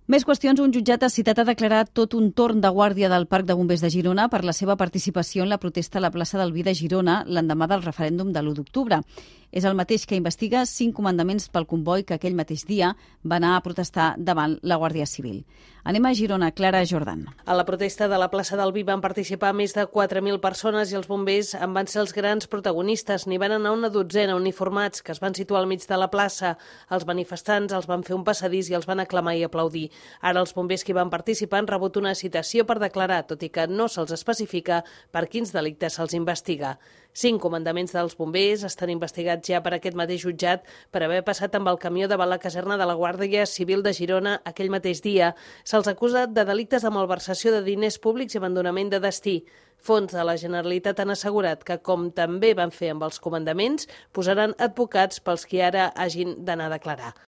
Més qüestions. Un jutjat ha citat a declarar tot un torn de guàrdia del Parc de Bombers de Girona per la seva participació en la protesta a la plaça del Vi de Girona l'endemà del referèndum de l'1 d'octubre. És el mateix que investiga 5 comandaments pel comboi que aquell mateix dia va anar a protestar davant la Guàrdia Civil. Anem a Girona. Clara Jordan. A la protesta de la plaça del Vi van participar més de 4.000 persones i els bombers en van ser els grans protagonistes. N'hi van anar una dotzena uniformats que es van situar al mig de la plaça. Els manifestants els van fer un passadís i els van aclamar i aplaudir. Ara els bombers que hi van participar han rebut una citació per declarar, tot i que no se'ls especifica per quins delictes se'ls investiga. 5 comandaments dels bombers estan investigats ja per aquest mateix jutjat per haver passat amb el camió davant la caserna de la Guàrdia Civil de Girona aquell mateix dia. Se'ls acusa de delictes de malversació de diners públics i abandonament de destí. Fons de la Generalitat han assegurat que, com també van fer amb els comandaments, posaran advocats pels qui ara hagin d'anar a declarar.